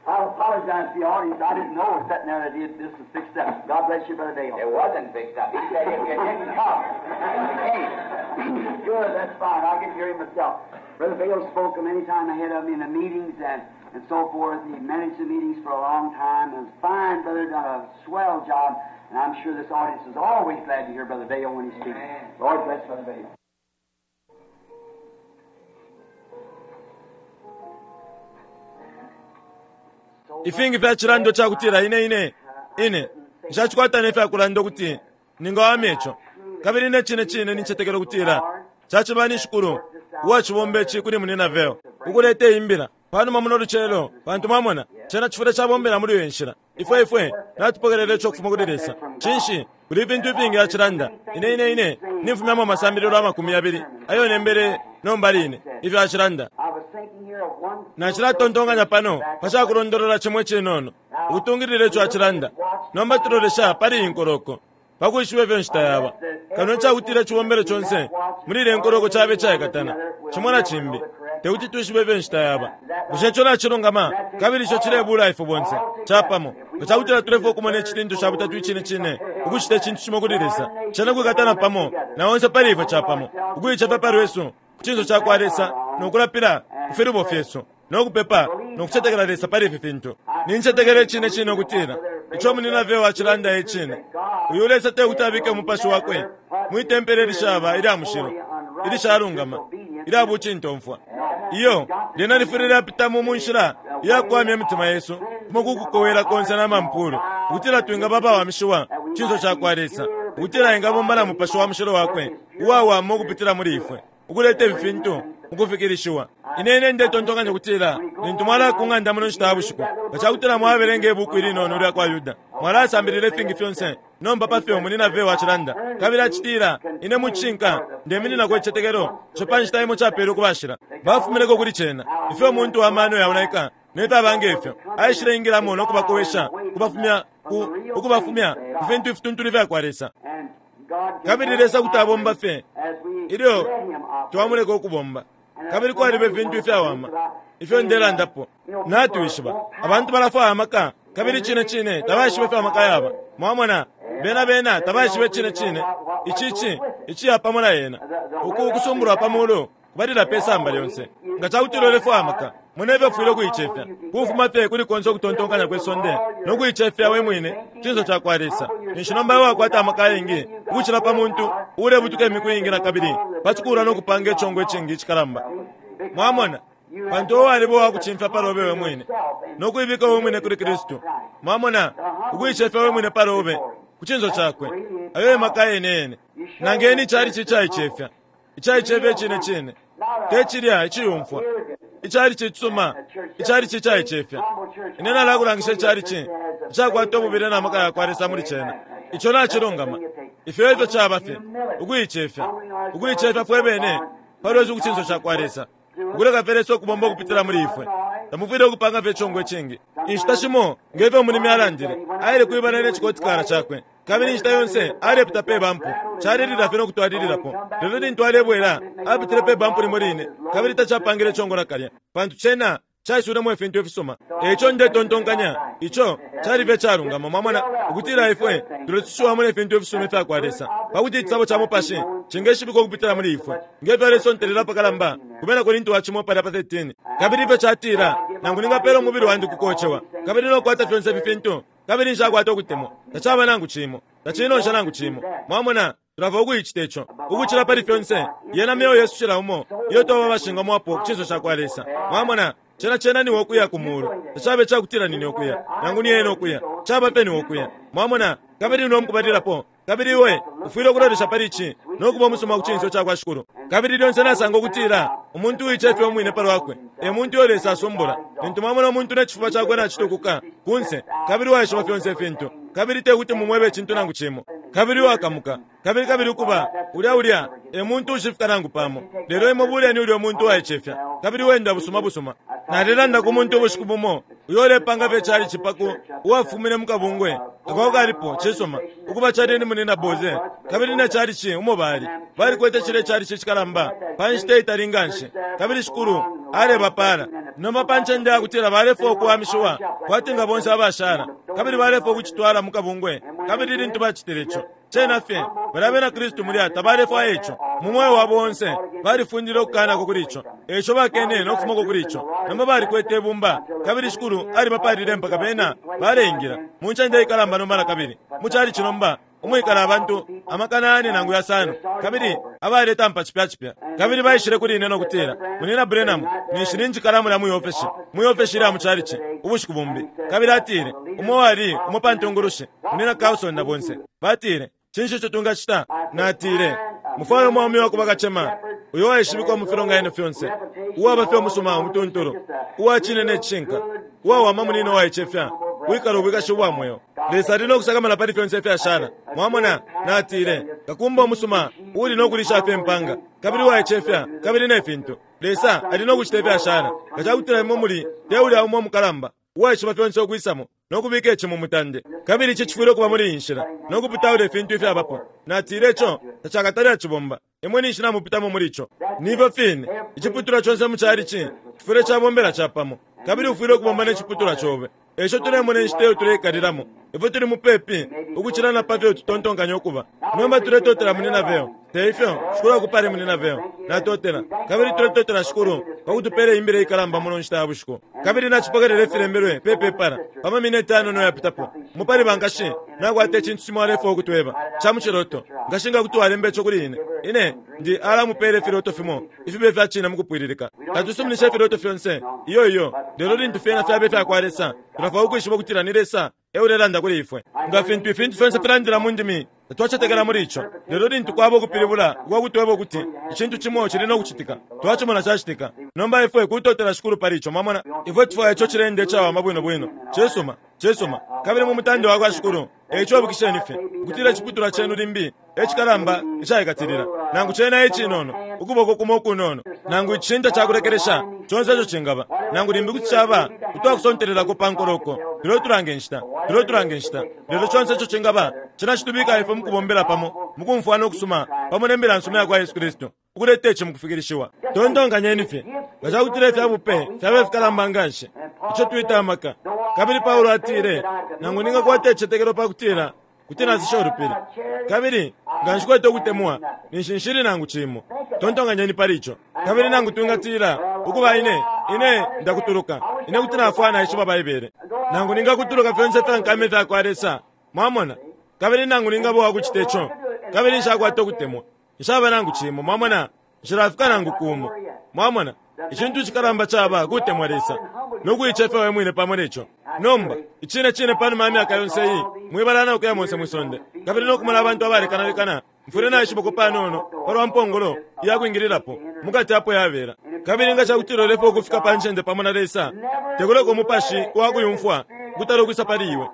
Speaker 3: I apologize to the audience. I didn't know sitting there that this was fixed up. God bless you, Brother Vayle.
Speaker 4: It wasn't fixed up. He said if you didn't come, you came.
Speaker 3: Good, that's fine. I'll get to hear him myself. Brother Vayle spoke many times ahead of me in the meetings and so forth. He managed the meetings for a long time. And was fine, brother, done a swell job. And I'm sure this audience is always glad to hear Brother Vayle when he speaks.
Speaker 4: Amen.
Speaker 3: Lord bless Brother Vayle.
Speaker 2: Ifingi fya chilando chakutila ine ine ine nshachikwata nefyakulanda ukuti ningawamya ico kabili ne cine cine nincetekela ukutila caciba ni shikulu uwacibomba ici kuli munina Vayle ukuleta imbila panuma muno lucelo pantu mwamona cena cifule cabombela muli iyo nshila ifwe ifwe natupokelela ico kufuma kuli Lesa cinshi kuli ifintu ifingi acilanda ine ine ine nimfumyamo amasambililo 20 ayo nembele nomba line ifyo acilanda nacilatontonkanya pano pacakulondolola cimwe cinono ukutungilila ico acilanda nomba tulolesha pali inkoloko pakwishiba ifyo nshita yaba kano cakutila cibombelo conse muli ile nkoloko cabe caikatana cimo na cimbi tekuti twishibe ifyo nshita yaba bushe ico nacilungama kabili ico cilebula ifwe bonse capamo nga cakutila tulefwa ukumona icitintu ca butatu icine cine ukucita icintu cimo kuli Lesa cena kwikatana pamo na onse pali ifwe capamo ukuicefya pa lwesu ku cinso cakwa Lesa nokulapila ku filubo fyesu nokupepa nokucetekela Lesa pali ifi fintu nincetekela icine cine ukutila ico munina Vayle acilanda icine uyu Lesa tekuti abike umupashi wakwe mwitempele ilishaba ilya mushilo ilishalungama ilya bucintomfwa iyo lyena lifwile lyapitamo mu nshila iyakuwamya imitima yesu kumo kukukowela konse na mampulu ukutila twingaba abawamishiwa cinso cakwa Lesa ukutila ingabomba na mupashi wa mushilo wakwe uwawama ukupitila muli ifwe ukuleta ifintu mukufikilishiwa ine ine ndetontonkanya ukutila lintu mwala ku ng'anda muno nshita ya bushiku nga cakutila mwabelenga ibuku ilinono lya kwa Yuda mwalasambilila ifingi fyonse nomba pafyo munina Vayle acilanda kabili acitila ine mucinka ndemininako icicetekelo ico pa nshita imo capele ukubashila bafumineko kuli cena ifyo umuntu wa mano yaonaika nefyaba ngefyo aishile ingilamo nokubakowesha ukubafumya ukubafumya ku fintu ifituntulu ifya Lesa kabili Lesa kuti abomba fye ilyo twamuleka ukubomba kabili kwaliba ifintu ifyawama ifyo ndelandapo natwishiba abantu balafwaya amaka kabili cine cine tabaishiba ifyo amaka yaba mwamona bena bena tabaishiba cine cine ici iciya pamo na yena uku kusumbulwa pamuulu kubalila pe samba lyonse nga cakutila ulefwaya amaka mwene ufwile ukuicefya kufuma fye kuli konse ukutontonkanya kwe sonde nokuicefya we mwine cinso cakwa Lesa ninshi nomba iwe wakwata amaka ayengi ukucila pa muntu ulebutuka imiku iingi na kabili pacikula nokupanga icongo icingi icikalamba mwamona pantu uwe waliba uwakucimfya palobe we mwine nokuibika we mwine kuli Kristu mwamona ukuicefya we mwine palobe ku cinso cakwe ayo emaka yene yene nangeni icali cicaicefya icaicefya icine cine te cilya iciyumfwa icali cicisuma icali cicaicefya ine nalakulangisha icali ci icakwata ububile na maka yakwa Lesa muli cena ico nacilungama ifyo efyo caba fye ukuicefya ukuicefya fwe bene palwesu ku cinso cakwa Lesa ukuleka fye Lesa ukubomba ukupitila muli ifwe tamufwile ukupanga fye icongo icingi inshita shimo ngefyo umulimi alandile aile kwibana ne cikotikala cakwe kabili inshita yonse alepita pe bampu calilila fye nokutwalililapo lelo lintu alebwela apitile pe bampu limo line kabili tacapangile icongo nakalya pantu cena caisulemo ifintu ifisuma eico ndetontonkanya ico cali fye calungama mwamona ukutila ifwe tulesushiwamo ne fintu ifisuma ifya Lesa pakuti icisabo ca mupashi cingeshibikwa ukupitila muli ifwe ngefyo alesontelela pakalamba kubena Korinto wa cimo palya pa 13 kabili ifyo catila nangu ningapela umubili wandi kukocewa kabili nokukwata fyonse ifi fintu kabili nshakwata ukutemwa tacaba nangu cimo tacinonsha nangu cimo mwamona tulava ukuicita ico ukucila pali fyonse yena myoyo yesu cila umo iyo twaba bashingamwapo ku cinso cakwa Lesa mwamona cena cena niwe ukuya ku mulu tacabe cakutila nine ukuya nangu ni ena ukuya caba pe niwe ukuya mwamona kabili niwe mukubalilapo kabili iwe ufwile ukulolesha pali ici nokuba umusuma ku cinso cakwa Shikulu kabili lyonse nasanga ukutila umuntu uicefya umwine palwakwe e muntu uyo Lesa asumbula lintu mwamona umuntu ne cifuba cakwe nacitukuka kunse kabili waishiba fyonse ifintu kabili tekuti mumwebe icintu nangu cimo kabili uwakamuka Kabili, kabili ukuba, ulya, ulya e muntu ushifika nangu pamo. Lelo imwe buleni ulyo muntu uwaicefya, kabili uwenda busuma busuma. Nalelanda ku muntu ubushiku bumo, uyo ulepanga fye chalichi paku, uwafumine mu kabungwe ako kalipo, cisuma, ukuba cali ni Munyina Boze, kabili ne chalichi umo bali. Balikwete cilye chalichi icikalamba pa nshita itali nganshi, kabili Shikulu alebapala. Nomba pa ncende yakutila balefwaya ukuwamishiwa kwati nga bonse abashala, kabili balefwaya ukucitwala mu kabungwe, kabili lintu bacitile ico, cena fye, balya bena Kristu mulya tabalefwaya ico. Mu mweo wabo onse balifundile ukukanako kuli ico, eico bakene no kufumako kuli ico. Nomba balikwete ibumba, kabili Shikulu alibapalile mpaka bena baleingila mu ncende ikalamba nomba nakabili, mu chalichi nomba umwikala abantu 4,000 nangu 5, kabili abaletampa cipya cipya. Kabili baishile kuli ine no kutila, "Munyina Branham," ninshi ninjikala mulya mwi ofeshi lya mu chalichi ubushiku bumbi. Kabili atile, umo wali umo pa ntungulushi, Munyina Carlson na bonse, batile, "Cinshi ico tungacita?" Natile, "Mufwaye umwaume wa kuba kacema uyo waishibikwa mu filonganino fyonse, uwaba fye umusuma umutuntulu, uwa cine ne cishinka, uwawama munino waicefya, wikala ubwikashi ubwa mweo. Lesa ali no kusakamana pali fyonse ifyashala." Mwamona? Natile, "Kakumba umusuma uuli no kulisha fye impanga, kabili uwaicefya, kabili ne fintu. Lesa ali no kucita ifyashala. Nga cakutila imwe muli te ulya umo mukalamba uwaishiba fyonse ukwisamo no kubika ici mu mutande, kabili ici cifwile ukuba muli iyi nshila, no kuputaula ifintu ifyabapo," natile, "ico tacakatale acibomba. Imwe ninshi namupitamo muli ico." Nifyo fine, iciputulwa conse mu chalichi cifwile cabombela capamo, kabili ufwile ukubomba ne ciputulwa cobe. Eico tulemona inshita iyo tuleikalilamo, ifyo tuli mupepi ukucila na pa fyo tutontonkanya ukuba. Nomba tuletotela Munyina Vayle, te ifyo? Shikulu akupale, Munyina Vayle. Natotela. Kabili tuletotela Shikulu pa kutupela imbila ikalamba muno nshita ya bushiku. Kabili nacipokelela ifilembelwe pe pepala pa mamineti anono yapitapo. Mupali bankashi nakwata icintu cimo alefwaya ukutweba ca muciloto. Nkashi nga kuti walemba ico kuli ine, ine ndi alamupela ifiloto fimo ifibe fya cine mukupwililika. Tatusuminisha ifiloto fyonse, iyo iyo, lelo lintu fyena fyaba ifya kwa Lesa, tulafwaya ukwishiba ukutila ni Lesa e ulelanda kuli ifwe. Nga fintu ifintu fyonse filandila mu ndimi, tatwacetekela muli ico, lelo lintu kwaba ukupilibula ukwa kutweba ukuti icintu cimo cili no kucitika, twacimona cacitika. Nomba ifwe kutotela Shikulu pali ico, mwamona. Ifwe tufwaya ico cilende icawama bwino bwino. Cisuma, cisuma, kabili mu mutande wa kwa Shikulu. Eico ibukisheni fye ukutila iciputulwa cenu limbi e cikalamba icaikatilila, nangu cena icinono, ukuboko kumo ukunono, nangu icishinta ca kulekelesha, conse ico cingaba, nangu limbi kuti caba utwakusontelelako pa nkoloko. Tuletulanga inshita, tuletulanga inshita. Lelo conse ico cingaba, cena citubika ifwe mukubombela pamo, mukumfwana ukusuma, pamo ne mbila nsuma ya kwa Yesu Kristu, ukuleta ici mukufikilishiwa. Tontonkanyeni fye, nga ca kutila ifya bupe fyaba ifikalamba nganshi, ico twita amaka. Kabili Paulo atile, "Nangu ningakwata icicetekelo pa kutila kuti nasisha ulupili, kabili nga nshikwete ukutemwa, ninshi nshili nangu cimo." Tontonkanyeni pali ico. Kabili nangu twingatila, "Ukuba, ine, ine ndakutuluka. Ine kuti nafwaya naishiba Baibele. Nangu ningakutuluka fyonse ifya nkama ifya kwa Lesa," mwamona, "kabili nangu ningaba uwakucita ico, kabili nshakwata ukutemwa, nshaba nangu cimo." Mwamona, nshilafika nangu kumo. Mwamona, icintu icikalamba caba kutemwa Lesa no kuicefya we mwine pamo neco. Nomba, icine cine, panuma ya myaka yonse iyi mwibala na ukuya monse mwisonde kabili no kumona abantu abalekanalekana, mfwile naishibako panono palwa mpongolo iya kwingililapo mukati apo yabela. Kabili nga cakutila ulefwaya ukufika pa ncende pamo na Lesa, tekuleka umupashi wa kuyumfwa ukutala ukwisa pali iwe.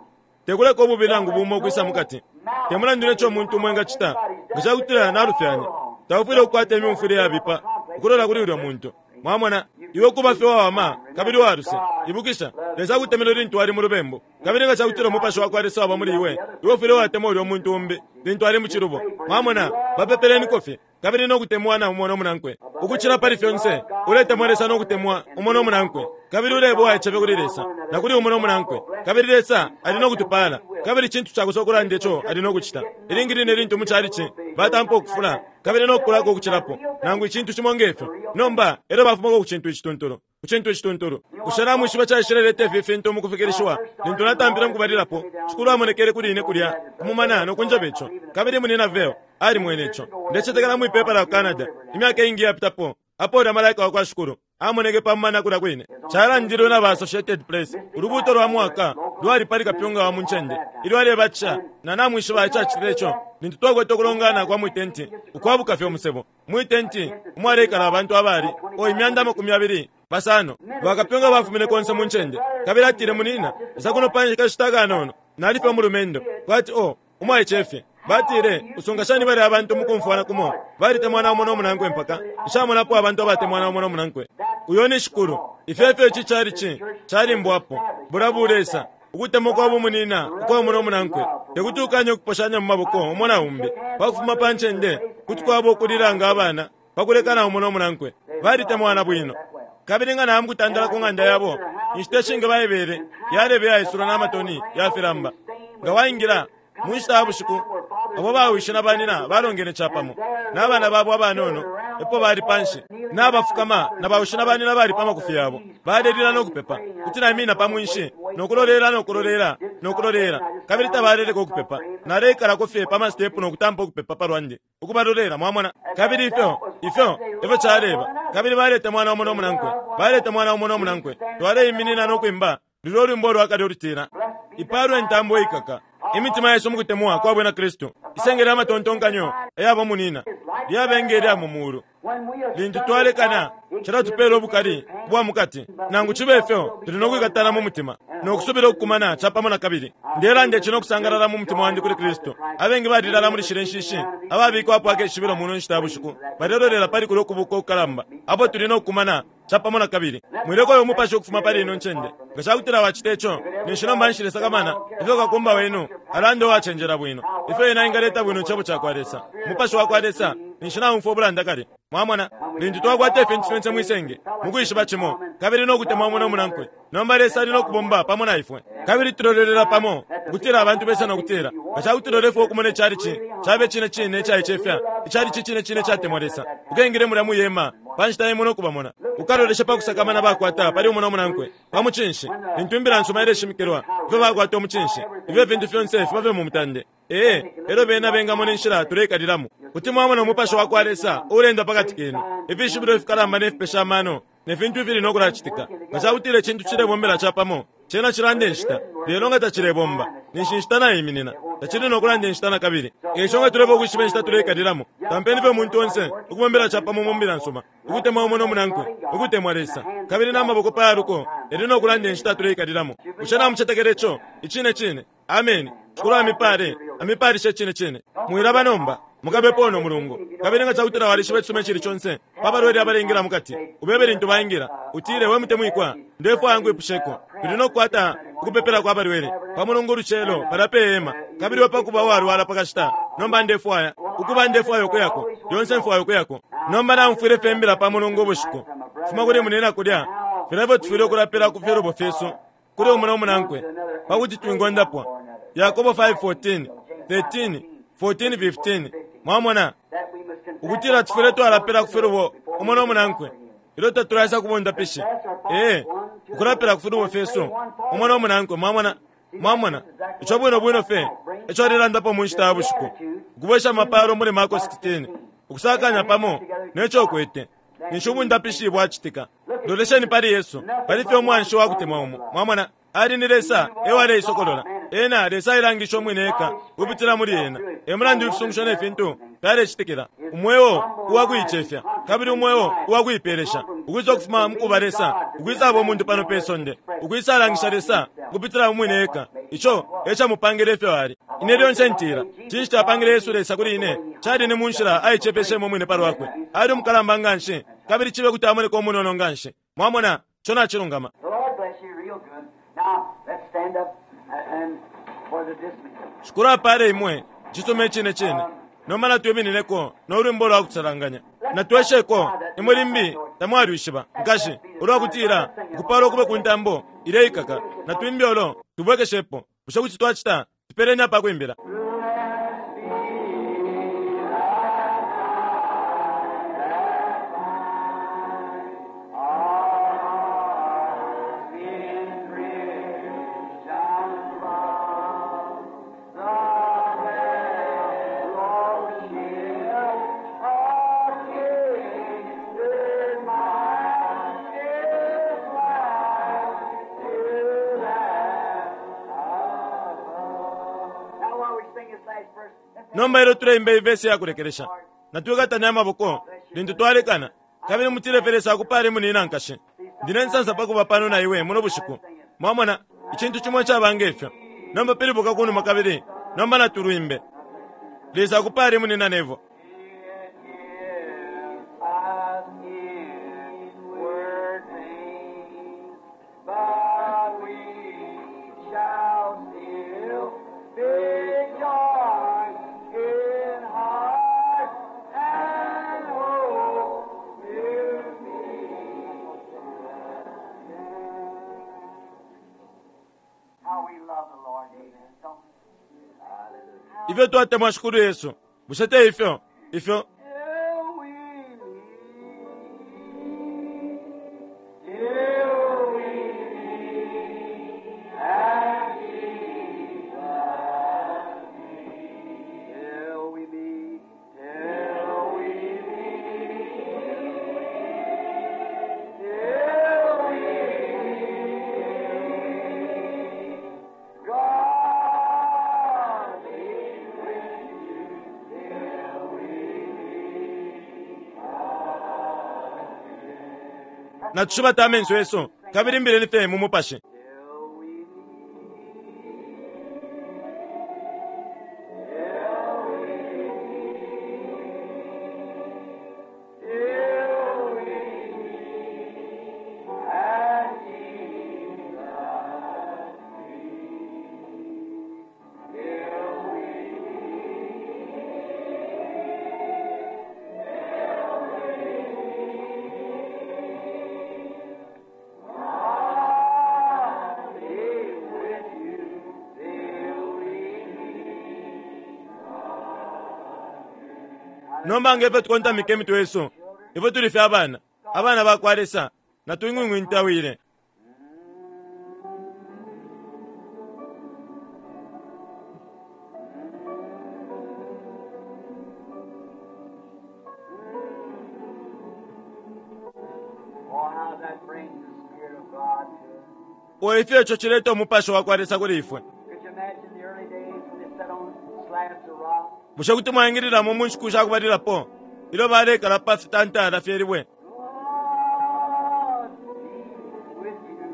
Speaker 2: Tekuleka ububi nangu bumo ukwisa mukati. Te mulandu neco umuntu umo engacita, nga cakutila nalufyanya, taufwile ukukwata imyumfwile yabipa ukulola kuli ulya muntu. Mwamona, iwe kuba fye uwawama kabili uwaluse. Ibukisha, Lesa akutemenwe lintu wali mu lubembu. Kabili nga cakutila umupashi wa kwa Lesa waba muli iwe, iwe ufwile watemwa ulya muntu umbi lintu ali mu cilubo. Mwamona, bapepeleniko fye, kabili no kutemwana umo no munankwe. Ukucila pali fyonse, uletemwa Lesa no kutemwa umo no munankwe. Kabili uleba uwaicefya kuli Lesa na kuli umo no munankwe. Kabili Lesa ali no kutupala. Kabili cintu cakosa ukulanda ico ali no kucita. Ilingi line lintu mu calici batampa ukufula kabili no kukulako ukucilapo, nangu icintu cimo nge fyo, nomba elyo bafumako ku cintu icituntulu, ku cintu icituntulu. Bushe namwishiba caishileleta ifi fintu mu kufikilishiwa? Lintu natampile mukubalilapo, Shikulu amonekele kuli ine kulya ku mumana no kunjeba ico. Kabili Munyina Vayle alimwene ico. Ndecetekela mwi pepa la ku Canada, imyaka iingi iyapitapo, apo ulya Malaika wa kwa Shikulu amoneke pa mumana kulya kwine. Calandilwe na ba Associated Press. Ulubuuto lwa mwaka lwali pali kapyunga wa mu ncende ilyo alebatisha. Na namwishiba icacitile ico? Lintu twakwete ukulongana kwa mwi tenti ukwabuka fye umusebo, mwi tenti umwaleikala abantu abali o 250. Bakapyunga bafumine konse mu ncende. Kabili atile, "Munina, isa kuno pa kashita kanono." Nali fye umulumendo, kwati o umwaice fye. Batile, Usunga shani balya abantu mukumfwana kumo balitemwana umo no munankwe mpaka nshamonapo abantu abatemwana umo no munankwe. Uyo ni Shikulu. Ifyo efyo ici chalichi calimbwapo. Bulya bulesa, ukutemwa kwa bumunina ukwa umo no munankwe. Tekuti ukanye ukuposhanya mu maboko umo na umbi. Pa kufuma pa ncende, kuti kwaba ukulila nga abana pa kulekana umo no munankwe. Balitemwana bwino. Kabili nga naya mukutandala ku ng'anda yabo, inshita ishingi Baibele yaleba iyaisula na matoni ya filamba. Nga waingila, mu nshita ya bushiku, abo bawishi na banina balongene capamo, na bana babo abanono epo bali panshi, nabafukama, na bawishi na banina bali pa makufi yabo, balelila no kupepa. Kuti naimina pa mwinshi, no kulolela no kulolela no kulolela, kabili tabaleleka ukupepa. Naleikalako fye pa masitepu no kutampa ukupepa pa lwandi, ukubalolela, mwamona. Kabili ifyo, ifyo efyo caleba. Kabili baletemwana umo no munankwe, baletemwana umo no munankwe. Twaleiminina no kwimba lulyo ulwimbo ulwa kale ulutila, Ipaalwe intambo iikaka imitima yesu mu kutemwa kwa Bwina Kristu, isenge lya matontonkanyo ayaba munina lyabe nge lya mu muulu. Lintu twalekana, cilatupeela ubukali bwa mu kati. Nangu cibe fyo, tuli no kwikatana mu mutima no kusubila ukukumana capamo na kabili. Ndelanda ici no kusangalala mu mutima wandi kuli Kristu. Abengi balilala muli shilya nshishi, ababikwapo akeshibilo muno nshita ya bushiku, balelolela pali kulya ukubuka ukukalamba apo tuli no kukumana capamo na kabili. Mwileka uyo mupashi ukufuma pali ino ncende. Nga ca kutila wacita ico, ninshi nomba nshilesakamana ifyo kakumba wenu alanda uwacenjela bwino, ifyo ena engaleta bwino Icebo cakwa Lesa, Umupashi wakwa Lesa, ninshi naumfwa ubulanda kale. Mwamona? Lintu twakwata ifintu fyonse mwi senge, mukwishiba cimo, kabili no kutemwa umo no munankwe, nomba Lesa ali no kubomba pamo na ifwe. Kabili tulolelela pamo, ukutila abantu besa no kutila, Nga cakutila ulefwaya ukumona ichalichi cabe cine cine icaicefya, ichalichi icine cine icatemwa Lesa, ukengile mulya mwi hema pa nshita imo no kubamona. Ukaloleshe pa kusakamana bakwata pali umo no munankwe, pa mucinshi, lintu Imbila nsuma ileshimikilwa, ifyo bakwata umucinshi, ifyo ifintu fyonse fiba fye mu mutande. Ee, elyo bena bengamona inshila tuleikalilamo. Kuti mwamona Umupashi wakwa Lesa uleenda pakati kenu, ifishibilo ifikalamba ne fipesha amano ne fintu ifili no kulacitika. Nga cakutila icintu cilebombela capamo, cena cilanda inshita. Lelo nga tacilebomba, ninshi inshita naiminina, tacili no kulanda inshita nakabili. Eico nga tulefwaya ukwishiba inshita tuleikalilamo, tampeni fye umuntu onse ukubombela capamo mu Mbila nsuma, ukutemwa umo no munankwe, ukutemwa Lesa, kabili na maboko pa yaluko yali no kulanda inshita tuleikalilamo. Bushe namucetekela ico? Icine cine. Ameni. Shikulu amipale, amipalishe icine cine. Mwilaba nomba. Mukabepo uno mulungu. Kabili nga cakutila walishiba icisuma icili conse pa balwele abalengila mukati, ubebe lintu baingila, utile, We mutemwikwa, ndefwaya nkwipusheko. Tuli no kukwata ukupepelako abalwele pa Mulungu ulucelo palya pe hema. Kabili iwe pakuba uwalwala pa kashita, nomba ndefwaya, ukuba ndefwaya ukuyako. Lyonse mfwaya ukuyako. Nomba naumfwile fye imbila pa Mulungu ubushiku, ukufuma kuli munina kulya, filya ifyo tufwile ukulapila ku filubo fyesu. kuli umo no munankwe pa kuti twingondapwa. Yakobo 5:14, 13, 14, 15. Mwamona ukutila tufwile twalapila ku filubo umo no munankwe ilyo tatulaisa ku bundapishi. Ee, ukulapila ku filubo fyesu umo no munankwe. Mwamona, mwamona ico bwino bwino fye eco alelandapo mu nshita ya bushiku, ukubwesha amapalo muli Marko 16, ukusakanya pamo ne co ukwete. Ninshi ubundapishi bwacitika. Lolesheni pali Yesu, pali fye umwanshi wa kutemwa umo. Mwamona, Ali ni Lesa e waleisokolola. Ena, Lesa ailangishe umwine eka ukupitila muli Ena. E mulandu ifisungusho ne fintu fyalecitikila. Umweo uwa kuicefya, kabili umweo uwa kuipelesha, ukwisa ukufuma mu kuba Lesa, ukwisaba umuntu pano pe sonde, ukwisalangisha Lesa ukupitila mu mwine eka. Ico e camupangile ifyo ali. Ine lyonse ntila, cinshi capangile Yesu Lesa kuli ine? Cali ni mu nshila aicefeshemo umwine pa lwakwe. Ali umukalamba nganshi, kabili cibe kuti amoneka umunono nganshi. Mwamona, ico nacilungama.
Speaker 3: The Lord bless you real good. Now, let's stand up and for the dismissal.
Speaker 2: Shikulu apale imwe. Cisuma icine cine. Nomba natwiminineko no lwimbo lwa kusalanganya. Natwesheko, imwe limbi tamwalwishiba, nkashi, ulwa kutila, Ukupalwa kube ku ntambo ileikaka. Natwimbe ulo, tubwekeshepo. Bushe kuti twacita? Tupeleni apa kwimbila.
Speaker 3: Now while we sing this last verse, let's
Speaker 2: Nomba ilyo tuleimba iyi vesi ya kulekelesha, natwikatane amaboko lintu twalekana, kabili mutile fye Lesa akupale munina nkashi. Ndi ne nsansa pa kuba pano na iwe muno bushiku. Mwamona, icintu cimo icaba nge fyo. Nomba pilibuka kunuma kabili nomba natulwimbe. Lesa akupale Munina Neville.
Speaker 3: Us inward pain, but we shall still be joined in heart and hope to meet. How we love the Lord, amen. Don't we?
Speaker 2: Ifyo twatemwa Shikulu Yesu. Bushe te ifyo? Ifyo
Speaker 3: Till we meet, till we meet at Jesus' feet. Till we meet, till we meet, till we meet. God be with you till we
Speaker 2: natushibata amenso yesu kabili mbileni fye mu mupashi.
Speaker 3: Till we meet, till we meet at Jesus' feet. Till we God be with you till we meet.
Speaker 2: Nomba nge ifyo tukontamika imitwe yesu, ifyo tuli fye abana, abana bakwa Lesa, natwing'wing'wintawile.
Speaker 3: Oh, how that brings the Spirit of God to us.
Speaker 2: O ifyo ico cileta umupashi wakwa Lesa kuli ifwe.
Speaker 3: Could you imagine the early days when they sat on slabs of rock?
Speaker 2: Bushe kuti mwaingililamo mu nshiku shakubalilapo ilyo balekala pa fitantala fye libwe?
Speaker 3: God be with you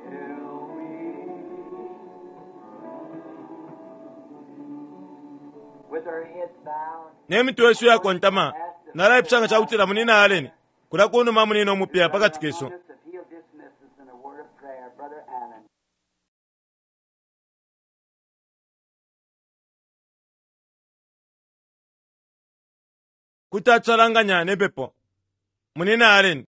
Speaker 3: till we meet. With our heads bowed,
Speaker 2: Ne mitwe yesu yakontama, nalaipusha nga cakutila Munina Allen, kulya kunuma munina umupya pakati kesu.
Speaker 3: If he'll dismiss us in a word of prayer, Brother Allen.
Speaker 2: Kuti atusalanganya ne pepo. Munina Allen.